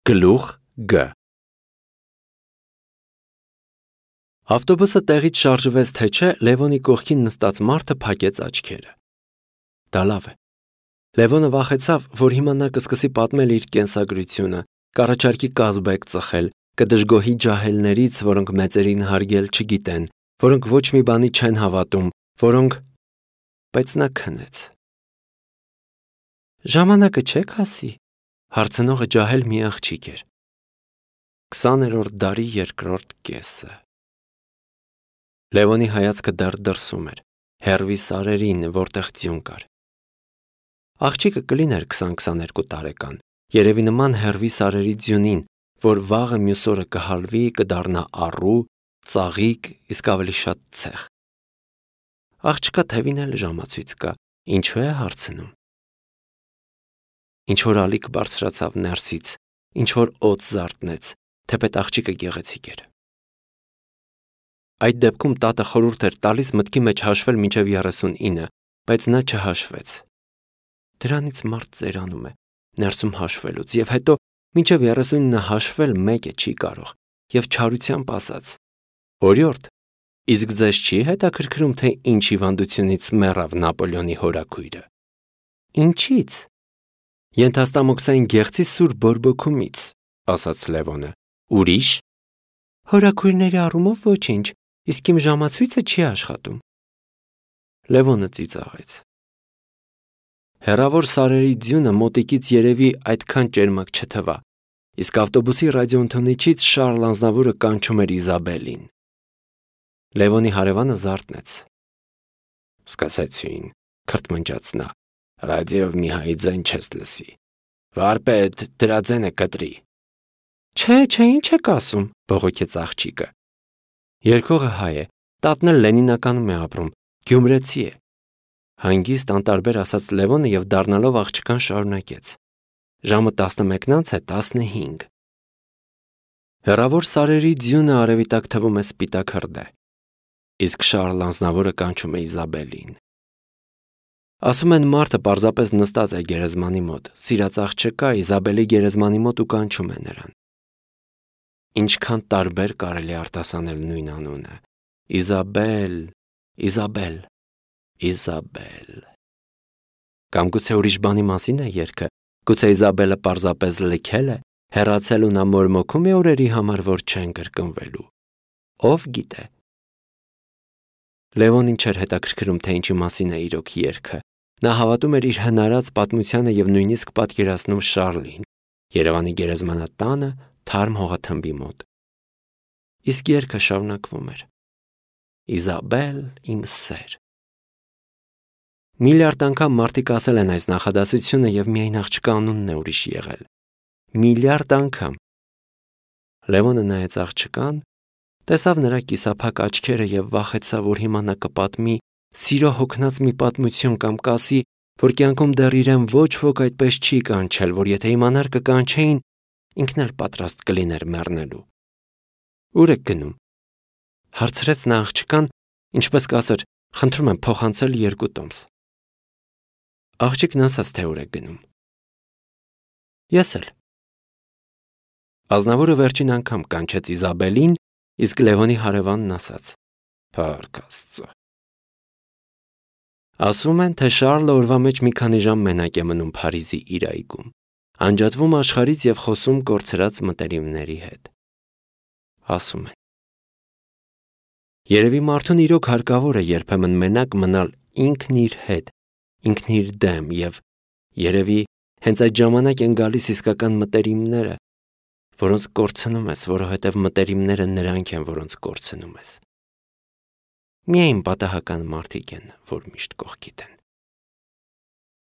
Գլուխ Գ Ավտոբուսը տեղից շարժվեց թե չէ, Լևոնի կողքին նստած մարդը փակեց աչքերը։ Դա լավ է։ Լևոնը վախեցավ, որ հիմա նա կսկսի պատմել իր կենսագրությունը, կառաջարկի կազբեկ ծխել, կդժգոհի ջահելներից, որոնք մեծերին հարգել չգիտեն, որոնք ոչ մի բանի չեն հավատում, որոնք… Բայց նա քնեց։ Ժամանակը չեք ասի, հարցնողը ջահել մի աղջիկ էր։ 20-րդ դարի երկրորդ կեսը։ Լևոնի հայացքը դեռ դրսում էր, հեռվի սարերին, որտեղ ձյուն կար։ Աղջիկը կլիներ 20-22 տարեկան, երևի նման հեռվի սարերի ձյունին, որ վաղը մյուս օրը կհալվի, կդառնա առու, ծաղիկ, իսկ ավելի շատ ցեխ։ Աղջկա թևին էլ ժամացույց կա, ինչու է հարցնում։ Ինչ-որ ալիք բարձրացավ ներսից, ինչ-որ օդ զարթնեց, թեպետ աղջիկը գեղեցիկ էր։ Այդ դեպքում տատը խորհուրդ էր տալիս մտքի մեջ հաշվել մինչև 39, բայց նա չհաշվեց։ Դրանից մարդ ծերանում է, ներսում հաշվելուց, և հետո մինչև 39 հաշվել մեկը չի կարող, և չարությամբ ասաց. Օրիորդ, իսկ ձեզ չի հետաքրքրում, թե ինչ հիվանդությունից մեռավ Նապոլեոնի հորաքույրը։ Ինչից։ Ենթաստամոքսային գեղձի սուր բորբոքումից, ասաց Լևոնը։ Ուրիշ։ Հորաքույրների առումով ոչինչ, իսկ իմ ժամացույցը չի աշխատում։ Լևոնը ծիծաղեց։ Հեռավոր սարերի ձյունը մոտիկից երևի այդքան ճերմակ չթվա, իսկ ավտոբուսի ռադիոընթունիչից Շարլ Անձնավուրը կանչում էր Իզաբելին։ Լևոնի հարևանը զարթնեց։ Սկսեցին, քրթմնջաց նա, ռադիոյով մի հայի ձայն չես լսի։ Վարպետ, դրա ձենը կտրի։ Չէ, ինչ եք ասում, բողոքեց աղջիկը։ Երգողը հայ է, տատն էլ Լենինականում է ապրում, գյումրեցի է։ Հանգիստ անտարբեր ասաց Լևոնը և դառնալով աղջկան շարունակեց. Ժամը 11:15։ Հեռավոր սարերի ձյունը արևի տակ թվում է սպիտակ հրդեհ, իսկ Շարլ Անձնավորը կանչում է Իզաբելին։ Ասում են մարդը պարզապես նստած է գերեզմանի մոտ, սիրած աղջկա Իզաբելի գերեզմանի մոտ ու կանչում է նրան։ Ինչքան տարբեր կարելի արտասանել նույն անունը. Իզաբել, Իզաբել, Իզաբել։ Կամ գուցե ուրիշ բանի մասին է երգը, գուցե Իզաբելը պարզապես լքել է, հեռացել ու նա մորմոքում է օրերի համար, որ չեն կրկնվելու։ Ով գիտե։ Լևոնին չէր հետաքրքրում, թե ինչի մասին է իրոք երգը։ Նա հավատում էր իր հնարած պատմությանը և նույնիսկ պատկերացնում Շարլին, Երևանի գերեզմանատանը, թարմ հողաթմբի մոտ։ Իսկ երգը շարունակվում էր. Իզաբել, իմ սեր։ Միլիարդ անգամ մարդիկ ասել են այս նախադասությունը և միայն աղջկա անունն է ուրիշ եղել։ Միլիարդ անգամ։ Լևոնը նայեց աղջկան, տեսավ նրա կիսափակ աչքերը և վախեցավ, որ հիմա նա կպատմի սիրո հոգնած մի պատմություն կամ կասի, որ կյանքում դեռ իրեն ոչ ոք այդպես չի կանչել, որ եթե իմանար կկանչեին, ինքն էլ պատրաստ կլիներ մեռնելու։ Ուր եք գնում։ Հարցրեց նա աղջկան, ինչպես կասեր, խնդրում եմ փոխանցել 2 տոմս։ Աղջիկն ասաց, թե ուր է գնում։ Ես էլ։ Ազնավուրը վերջին անգամ կանչեց Իզաբելին, իսկ Լևոնի հարևանն ասաց. Փառք Աստծո։ Ասում են, թե Շարլը օրվա մեջ մի քանի ժամ մենակ է մնում Փարիզի իր այգում, անջատվում աշխարհից և խոսում կորցրած մտերիմների հետ։ Ասում են։ Երևի մարդուն իրոք հարկավոր է երբեմն մենակ մնալ ինքն իր հետ, ինքն իր դեմ և երևի հենց այդ ժամանակ են գալիս իսկական մտերիմները, որոնց կորցնում ես, որովհետև մտերիմները նրանք են, որոնց կորցնում ես։ Միայն պատահական մարդիկ են, որ միշտ կողքիդ են։